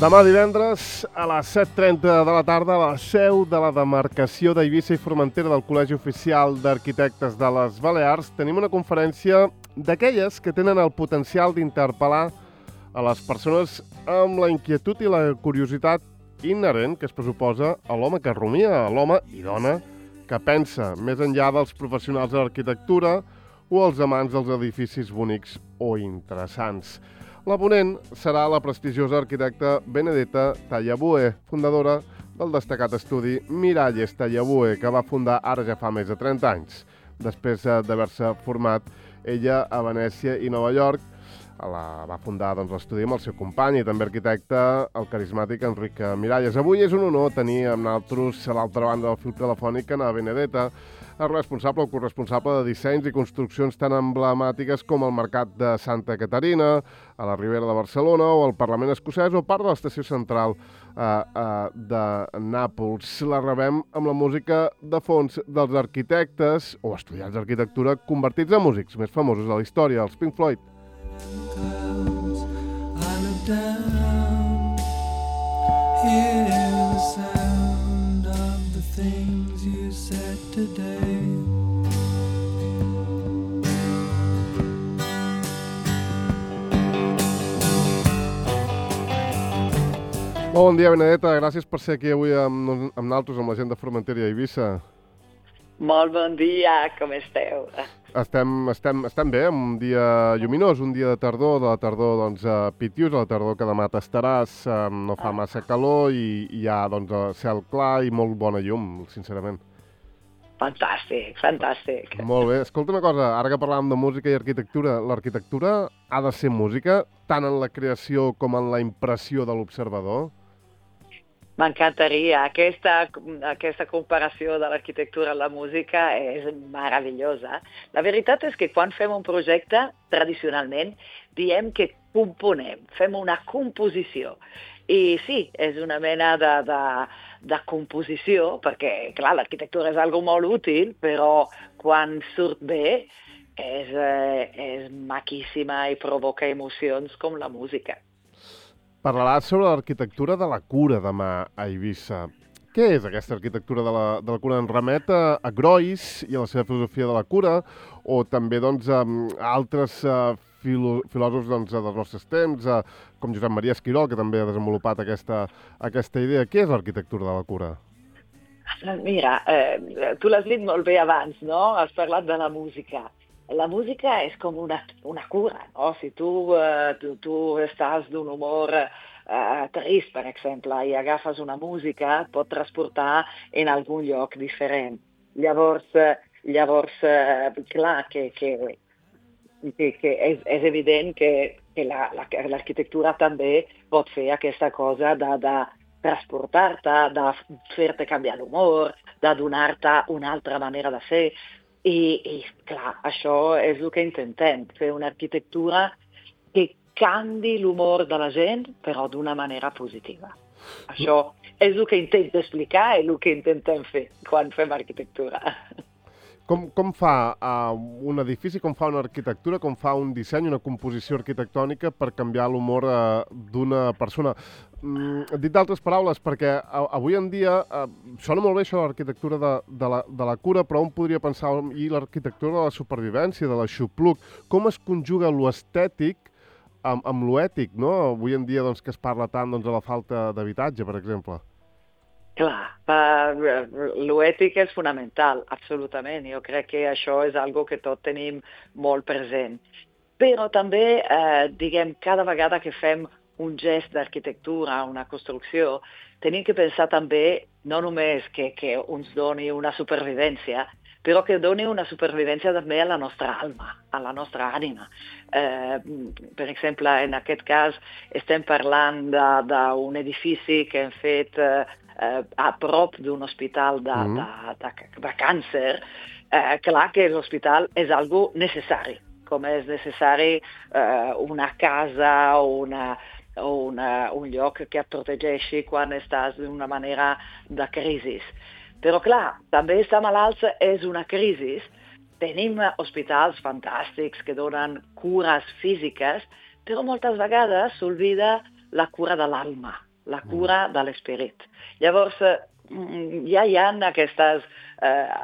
Demà divendres a les 7:30 de la tarda a la seu de la demarcació d'Eivissa i Formentera del Col·legi Oficial d'Arquitectes de les Balears tenim una conferència d'aquelles que tenen el potencial d'interpel·lar a les persones amb la inquietud i la curiositat inherent que es pressuposa a l'home que rumia, a l'home i dona que pensa més enllà dels professionals de l'arquitectura o els amants dels edificis bonics o interessants. La ponent serà la prestigiosa arquitecta Benedetta Tallabue, fundadora del destacat estudi Miralles Tallabue, que va fundar ara ja fa més de 30 anys, després d'haver-se format ella a Venècia i Nova York. Va fundar l'estudi amb el seu company i també arquitecte, el carismàtic Enric Miralles. Avui és un honor tenir amb nosaltres a l'altra banda del fil telefònic a Benedetta, el responsable o corresponsable de dissenys i construccions tan emblemàtiques com el Mercat de Santa Caterina, a la Ribera de Barcelona o el Parlament escocès o part de l'estació central de Nàpols. La rebem amb la música de fons dels arquitectes o estudiants d'arquitectura convertits en músics més famosos de la història, els Pink Floyd. I look down, hear the sound of the things you said today. Bon dia, Benedetta. Gràcies per ser aquí avui amb nosaltres, amb la gent de Formentera i Eivissa. Molt bon dia, com esteu? Estem bé, un dia lluminós, un dia de la tardor pitius, a la tardor que demà t'estaràs, no fa massa calor i hi ha cel clar i molt bona llum, sincerament. Fantàstic, fantàstic. Molt bé. Escolta una cosa, ara que parlàvem de música i arquitectura, l'arquitectura ha de ser música tant en la creació com en la impressió de l'observador? M'encantaria. Aquesta comparació de l'arquitectura a la música és meravellosa. La veritat és que quan fem un projecte, tradicionalment, diem que componem, fem una composició. I sí, és una mena de composició, perquè, clar, l'arquitectura és algo molt útil, però quan surt bé és maquíssima i provoca emocions com la música. Parlaràs sobre l'arquitectura de la cura demà a Eivissa. Què és aquesta arquitectura de la cura? En remet a Groys i a la seva filosofia de la cura, o també a altres filòsofs dels nostres temps, com Josep Maria Esquirol, que també ha desenvolupat aquesta idea. Què és l'arquitectura de la cura? Mira, tu l'has dit molt bé abans, no? Has parlat de la música. La música és com una cura, no? Si tu estàs d'un humor trist, per exemple, i agafes una música, et pot transportar en algun lloc diferent. Llavors clar, que és evident que l'arquitectura també pot fer aquesta cosa de transportar-te, de fer-te canviar l'humor, de donar-te una altra manera de ser. I clar, això és el que intentem, fer una arquitectura que canvi l'humor de la gent, però d'una manera positiva. Això és el que intento explicar i el que intentem fer quan fem arquitectura. Com fa un edifici, com fa una arquitectura, com fa un disseny, una composició arquitectònica per canviar l'humor d'una persona? Dit d'altres paraules, perquè avui en dia sona molt bé això de l'arquitectura de la cura, però un podria pensar i l'arquitectura de la supervivència, de l'aixopluc. Com es conjuga l'estètic amb l'ètic, no? Avui en dia que es parla tant de la falta d'habitatge, per exemple. Clar, l'ètic és fonamental, absolutament. Jo crec que això és algo que tots tenim molt present. Però també, cada vegada que fem un gest d'arquitectura, una construcció, tenim que pensar també no només que ens doni una supervivència, però que doni una supervivència també a la nostra alma, a la nostra ànima. Per exemple, en aquest cas estem parlant d'un edifici que hem fet a prop d'un hospital de càncer. Clar que l'hospital és algo necessari, com és necessari una casa o un lloc que et protegeixi quan estàs d'una manera de crisi. Però clar, també estar malalts és una crisi. Tenim hospitals fantàstics que donen cures físiques, però moltes vegades s'oblida la cura de l'alma. la cura de l'esperit. Llavors, ja hi ha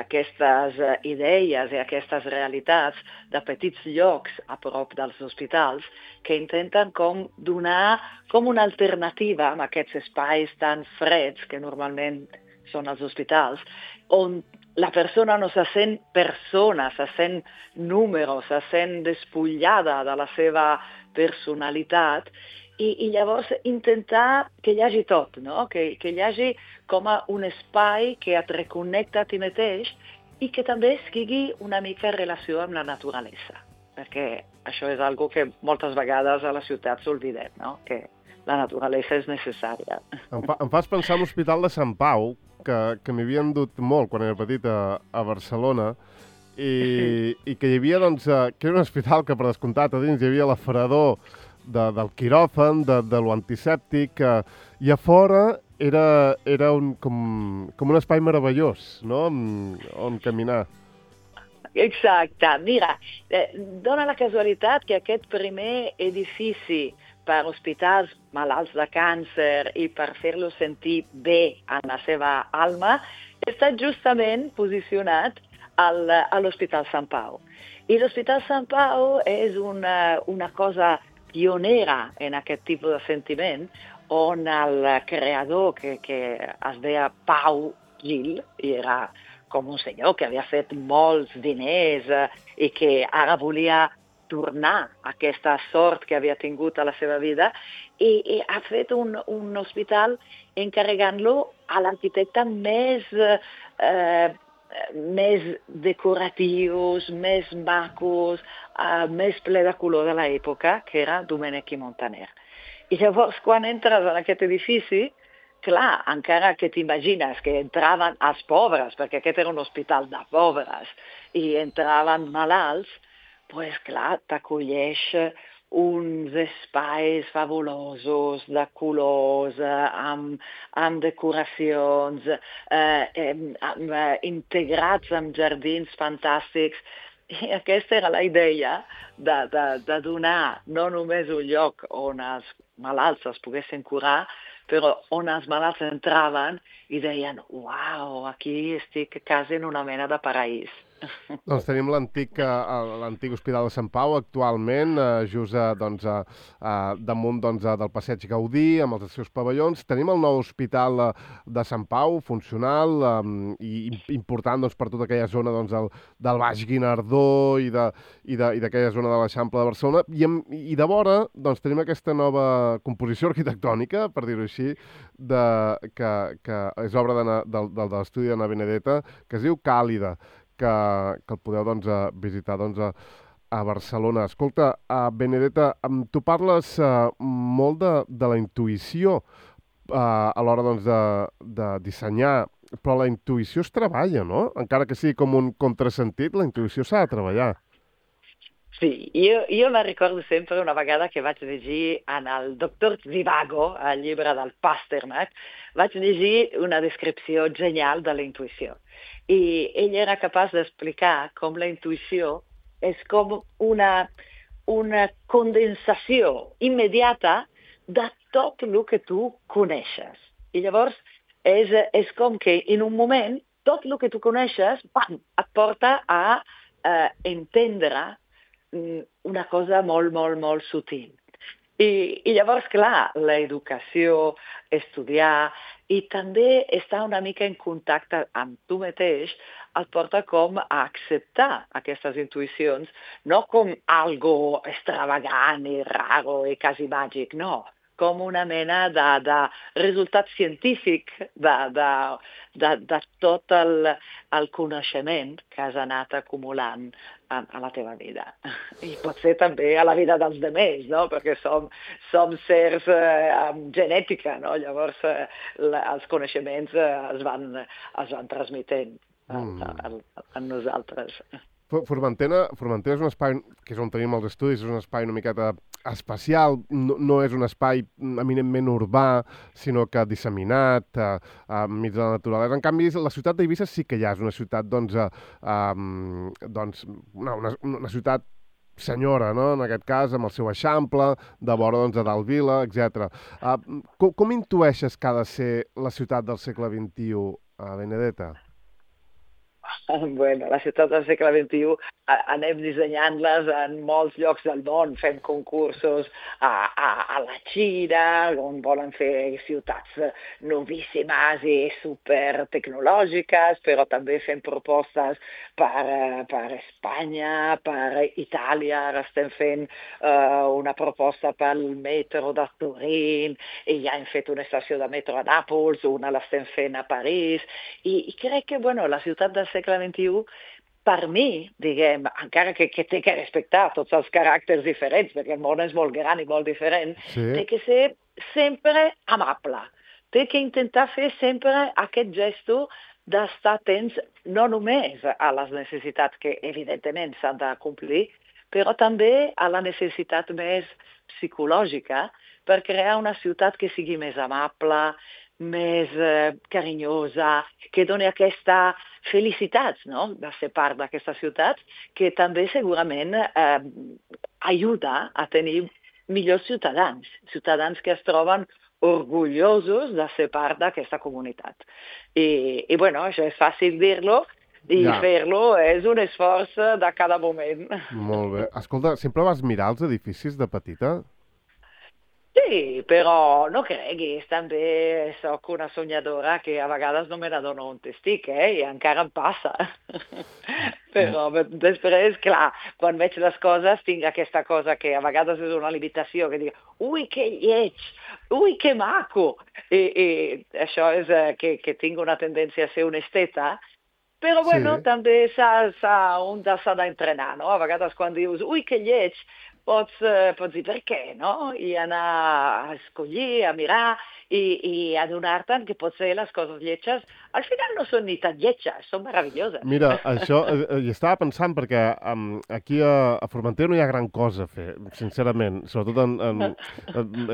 aquestes idees i aquestes realitats de petits llocs a prop dels hospitals que intenten com donar com una alternativa a aquests espais tan freds que normalment són els hospitals, on la persona no se sent persona, se sent número, se sent despullada de la seva personalitat, i llavors intentar que hi hagi tot, no? Que hi hagi com un espai que et reconnecta a ti mateix i que també estigui una mica en relació amb la naturalesa, perquè això és algo que moltes vegades a la ciutat s'oblidem, no? Que la naturalesa és necessària. Em fas pensar en l'Hospital de Sant Pau, que m'hi havien dut molt quan era petit a Barcelona, i que hi havia, doncs, que era un hospital que per descomptat a dins hi havia l'aferador del quiròfan, de l'antisèptic, i a fora era com un espai meravellós, no?, on caminar. Exacte. Mira, dona la casualitat que aquest primer edifici per hospitals malalts de càncer i per fer-los sentir bé en la seva alma està justament posicionat a l'Hospital Sant Pau. I l'Hospital Sant Pau és una cosa pionera en aquest tipus de sentiment, on el creador, que es deia Pau Gil, i era com un senyor que havia fet molts diners i que ara volia tornar aquesta sort que havia tingut a la seva vida, i ha fet un hospital encarregant-lo a l'arquitecte més decoratius, més macos, més ple de color de l'època, que era Domènech i Montaner. I llavors, quan entres en aquest edifici, clar, encara que t'imagines que entraven els pobres, perquè aquest era un hospital de pobres, i entraven malalts, doncs clar, t'acolleix uns espais fabulosos, de colors, amb decoracions, integrats amb jardins fantàstics. I aquesta era la idea de donar no només un lloc on els malalts es poguessin curar, però on els malalts entraven i deien, uau, aquí estic quasi en una mena de paraís. Doncs tenim l'antic Hospital de Sant Pau actualment, just damunt del Passeig Gaudí, amb els seus pavellons. Tenim el nou Hospital de Sant Pau, funcional i important per tota aquella zona del Baix Guinardó i d'aquella zona de l'Eixample de Barcelona. I de vora tenim aquesta nova composició arquitectònica, per dir-ho així, que és obra de l'estudi d'Anna Benedetta, que es diu Càlida, que el podeu visitar a Barcelona. Escolta, Benedetta, tu parles molt de la intuïció a l'hora de dissenyar, però la intuïció es treballa, no? Encara que sigui com un contrasentit, la intuïció s'ha de treballar. Sí, jo me recordo sempre una vegada que vaig llegir en el Doctor Zhivago, el llibre del Pasternak, vaig llegir una descripció genial de la intuïció. I ell era capaç d'explicar com la intuïció és com una condensació immediata de tot el que tu coneixes. I llavors és com que en un moment tot el que tu coneixes et porta a entendre una cosa molt, molt, molt sutil. I llavors, clar, l'educació, estudiar i també estar una mica en contacte amb tu mateix et porta com a acceptar aquestes intuïcions, no com algo extravagant i raro i quasi màgic, no, com una mena de resultat científic de tot el coneixement que has anat acumulant a la teva vida. I potser també a la vida dels demés, no? Perquè som sers amb genètica, no? Llavors els coneixements es van transmetent a nosaltres. Formentera és un espai, que és on tenim els estudis, és un espai una miqueta especial, no és un espai eminentment urbà, sinó que disseminat enmig de la naturalesa. En canvi, la ciutat d'Eivissa sí que ja és una ciutat, una ciutat senyora, no? En aquest cas, amb el seu eixample, de vora doncs, de dalt vila, etc. Com intueixes que ha de ser la ciutat del segle XXI, Benedetta? Bueno, la ciutat del segle XXI anem dissenyant-les en molts llocs del món, fem concursos a la Xina, on volen fer ciutats novíssimes i super tecnològiques, però també fem propostes per Espanya, per Itàlia, ara estem fent una proposta pel metro de Turín, i ja hem fet una estació de metro a Nàpols, una l'estem fent a París, i crec que bueno, la ciutat del segle XXI, per mi, diguem, encara que té que respectar tots els caràcters diferents, perquè el món és molt gran i molt diferent, té que ser sempre amable. Té que intentar fer sempre aquest gesto d'estar atents no només a les necessitats que evidentment s'han de complir, però també a la necessitat més psicològica per crear una ciutat que sigui més amable, més carinyosa, que doni aquesta felicitat, no?, de ser part d'aquesta ciutat, que també segurament ajuda a tenir millors ciutadans, ciutadans que es troben orgullosos de ser part d'aquesta comunitat. I bueno, això és fàcil dir-lo, i fer-lo és un esforç de cada moment. Molt bé. Escolta, sempre vas mirar els edificis de petita? Sí, però no creguis, també sóc una soñadora que a vegades no me n'adono on estic, i encara em passa. Però després, clar, quan veig les coses tinc aquesta cosa que a vegades és una limitació, que dic, ui, que lleig, ui, que maco. I això és que tinc una tendència a ser un esteta, però bueno, també un s'ha d'entrenar, no? A vegades quan dius, ui, que lleig, pots dir per què, no? I anar a escollir, a mirar i adonar-te'n que potser les coses lletges al final no són ni tan lletges, són meravelloses. Mira, això hi estava pensant perquè aquí a Formentera no hi ha gran cosa a fer, sincerament. Sobretot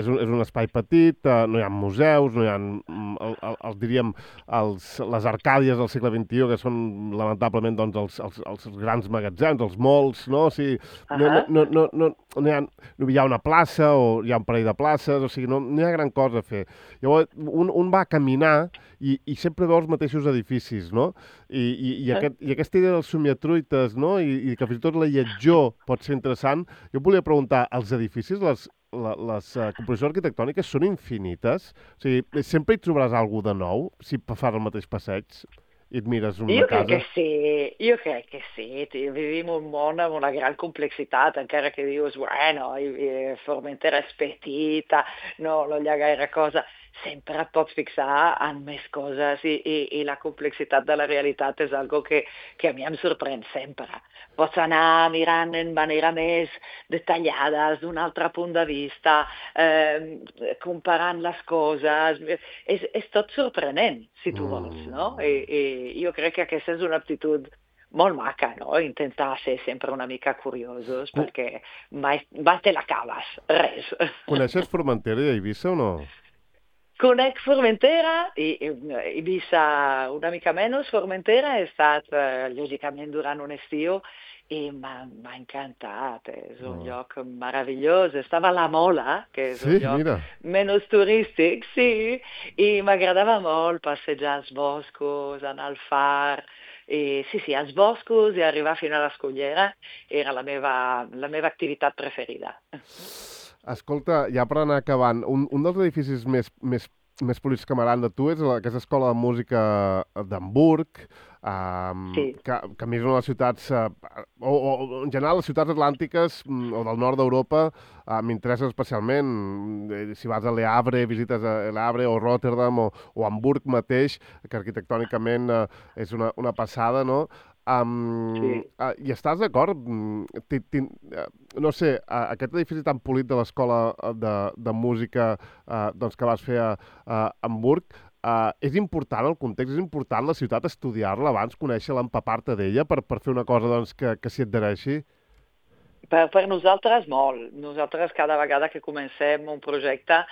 és un espai petit, no hi ha museus, no hi ha, diríem, les arcàdies del segle XXI, que són lamentablement doncs, els grans magatzems, els malls, no? O sigui, no hi ha una plaça o hi ha un parell de places, o sigui, no hi ha gran cosa a fer. Llavors, un va a caminar i sempre veu els mateixos edificis, no? I aquesta idea dels somiatruites, no? I que fins i tot la lletjor pot ser interessant. Jo volia preguntar, els edificis, les composicions arquitectòniques són infinites? O sigui, sempre hi trobaràs alguna de nou si fas el mateix passeig? I et mires una casa? Jo crec que sí. Vivim un món amb una gran complexitat, encara que dius, bueno, Formentera és petita, no hi ha gaire cosa. Sempre et pots fixar en més coses i la complexitat de la realitat és algo que a mi em sorprèn sempre. Pots anar mirant en manera més detallada, d'un altre punt de vista, comparant les coses. És tot sorprenent, si tu vols, no? I jo crec que aquesta és una aptitud molt maca, no? Intentar ser sempre una mica curiosos, perquè mai te l'acabes, res. Coneixes Formentera i Eivissa o no? Conec Formentera, i Eivissa una mica menys. Formentera he estat, lògicament, durant un estiu i m'ha encantat. És un lloc meravellós. Estava a la Mola, que és un lloc menys turístic, sí, i m'agradava molt passejar als boscos, anar al far. Sí, als boscos i arribar fins a l'Escullera era la meva activitat preferida. Escolta, ja per anar acabant, un dels edificis més polits que m'agrada de tu és aquesta escola de música d'Hamburg, que a mi és una de les ciutats, o en general les ciutats atlàntiques o del nord d'Europa m'interessa especialment. Si vas a Le Havre, visites a Le Havre o Rotterdam o Hamburg mateix, que arquitectònicament és una passada, no? I estàs d'acord? No sé, aquest edifici tan polit de l'escola de música que vas fer a Hamburg, és important el context, és important la ciutat estudiar-la abans, conèixer-la, empapar-te d'ella per fer una cosa que s'hi adhereixi? Per nosaltres molt. Nosaltres cada vegada que comencem un projecte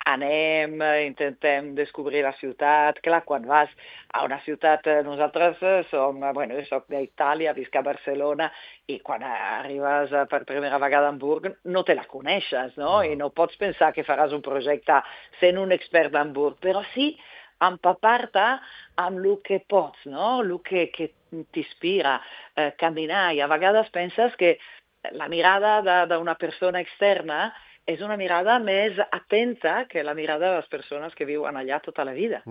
anem, intentem descobrir la ciutat. Clar, quan vas a una ciutat, nosaltres som, bueno, jo soc d'Itàlia, visc a Barcelona, i quan arribes per primera vegada a Hamburg no te la coneixes, no? I no pots pensar que faràs un projecte sent un expert d'Hamburg, però sí empapar-te amb el que pots, no? El que t'inspira, caminar, i a vegades penses que la mirada d'una persona externa és una mirada més atenta que la mirada de les persones que viuen allà tota la vida.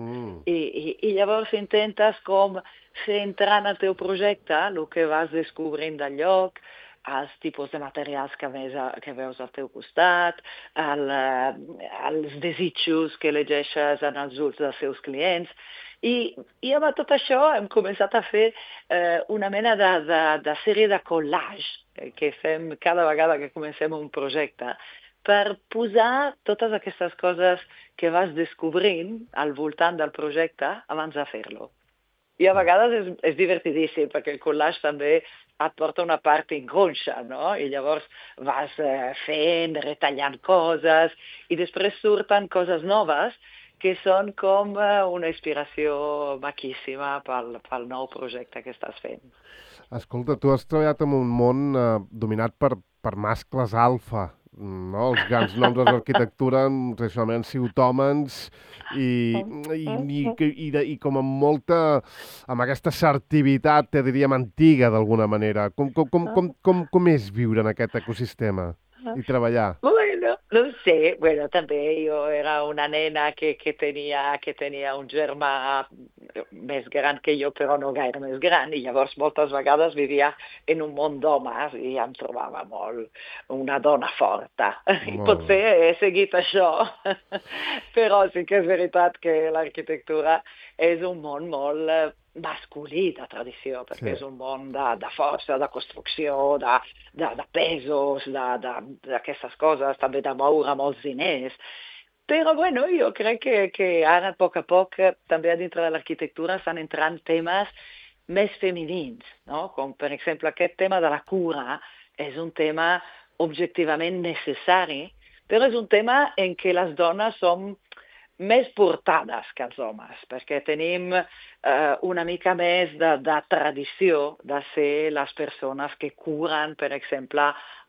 I llavors intentes com fer entrar en el teu projecte el que vas descobrint del lloc, els tipus de materials que veus al teu costat, els desitjos que llegeixes en els ulls dels seus clients. I amb tot això hem començat a fer una mena de sèrie de collage que fem cada vegada que comencem un projecte, per posar totes aquestes coses que vas descobrint al voltant del projecte abans de fer-lo. I a vegades és divertidíssim, perquè el collage també et porta una part inconscient, no? I llavors vas fent, retallant coses, i després surten coses noves que són com una inspiració maquíssima pel nou projecte que estàs fent. Escolta, tu has treballat en un món dominat per mascles alfa, no? Els grans noms de l'arquitectura tradicionalment han sigut homes i com amb aquesta assertivitat, te diríem, antiga d'alguna manera. Com és viure en aquest ecosistema i treballar? Bueno, no sé, també jo era una nena que tenia un germà més gran que jo, però no gaire més gran, i llavors moltes vegades vivia en un món d'homes i em trobava molt una dona forta. I potser he seguit això, però sí que és veritat que l'arquitectura és un món molt masculí de tradició, perquè és un món de força, de construcció, de pesos, d'aquestes coses, també de moure molts diners. Però jo crec que ara, a poc, també a dintre de l'arquitectura estan entrant temes més femenins, no? Com per exemple aquest tema de la cura és un tema objectivament necessari, però és un tema en què les dones som més portades que els homes, perquè tenim una mica més de tradició de ser les persones que curen, per exemple,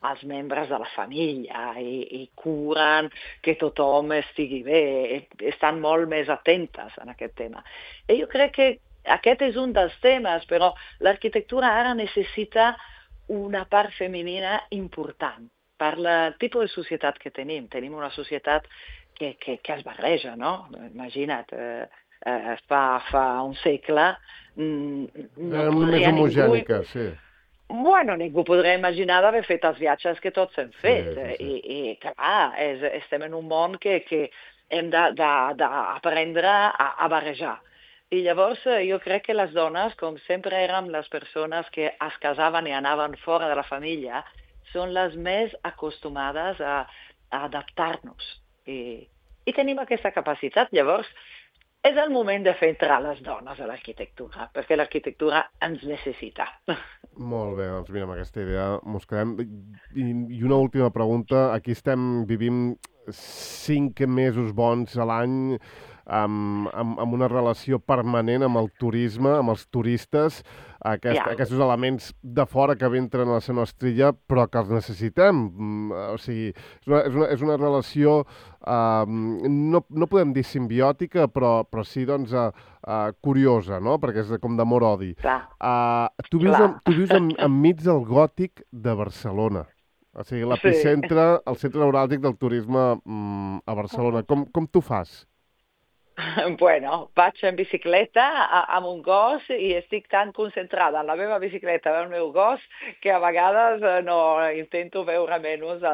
els membres de la família i curen que tothom estigui bé, estan molt més atentes en aquest tema. I jo crec que aquest és un dels temes, però l'arquitectura ara necessita una part femenina important per el tipus de societat que tenim. Tenim una societat que es barreja, no? Imagina't, fa un segle no més homogènica, sí. Ningú podria imaginar d'haver fet els viatges que tots hem fet. Sí. I clar, estem en un món que hem d'aprendre a barrejar. I llavors jo crec que les dones, com sempre érem les persones que es casaven i anaven fora de la família, són les més acostumades a adaptar-nos. I tenim aquesta capacitat. Llavors, és el moment de fer entrar les dones a l'arquitectura, perquè l'arquitectura ens necessita. Molt bé, doncs mira, amb aquesta idea mos quedem. I una última pregunta. Aquí vivim 5 mesos bons a l'any amb una relació permanent amb el turisme, amb els turistes, aquests elements de fora que entren a la nostra illa, però que els necessitem. O sigui, és una relació, no podem dir simbiòtica, però sí, doncs, curiosa, no? Perquè és com d'amor-odi. Tu vius enmig del gòtic de Barcelona. O sigui, l'epicentre, el centre neuràlgic del turisme a Barcelona. Com tu fas? Vaig en bicicleta amb un gos i estic tan concentrada en la meva bicicleta i el meu gos que a vegades intento veure menys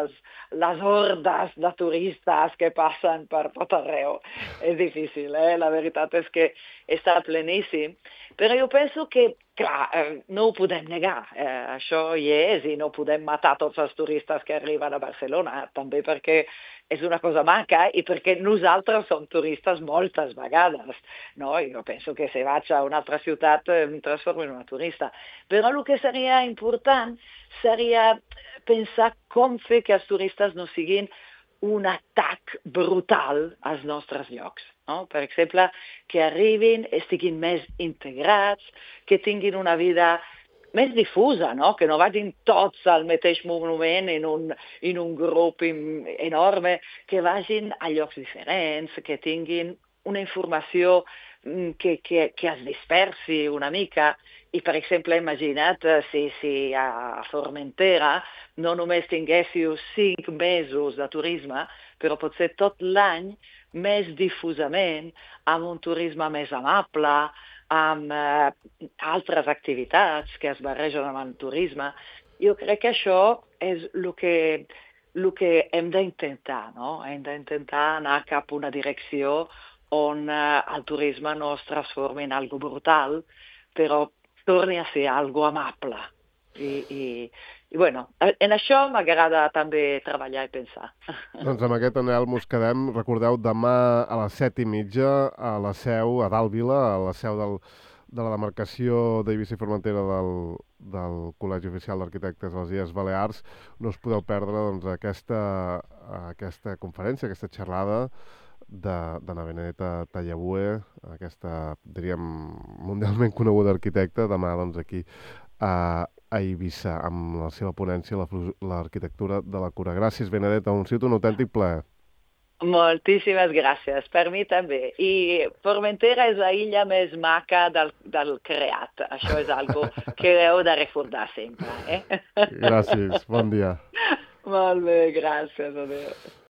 les hordes de turistes que passen per tot arreu. És difícil, la veritat és que està pleníssim. Però jo penso que, clar, no ho podem negar. Això hi és i no podem matar tots els turistes que arriben a Barcelona, també perquè és una cosa maca i perquè nosaltres som turistes moltes vegades, no? Jo penso que si vaig a una altra ciutat em transformo en una turista. Però el que seria important seria pensar com fer que els turistes no siguin un atac brutal als nostres llocs. No? Per exemple, que arribin, estiguin més integrats, que tinguin una vida més difusa, no? Que no vagin tots al mateix moment en un grup enorme, que vagin a llocs diferents, que tinguin una informació que es dispersi una mica. I, per exemple, imagina't si a Formentera no només tinguéssiu 5 mesos de turisme, però potser tot l'any més difusament, amb un turisme més amable, amb altres activitats que es barregen amb el turisme. Jo crec que això és el que hem d'intentar, no? Hem d'intentar anar cap a una direcció on el turisme no es transformi en algo brutal, però torni a ser algo amable. I bueno, en això m'agrada també treballar i pensar. Doncs amb aquest anhel mos quedem. Recordeu, demà a les 7:30 a la seu, a Dàlvila, a la seu de la demarcació d'Eivissa i Formentera del Col·legi Oficial d'Arquitectes de les Illes Balears. No us podeu perdre doncs, aquesta conferència, aquesta xerrada d'Anna Benedetta Tallabue, aquesta, diríem, mundialment coneguda arquitecta, demà doncs, aquí a Eivissa, amb la seva ponència, l'arquitectura de la cura. Gràcies, Benedetta, un sigut un autèntic plaer. Moltíssimes gràcies, per mi també. I Formentera és la illa més maca del creat. Això és algo que heu de recordar sempre. Gràcies, bon dia. Molt bé, gràcies. Adéu.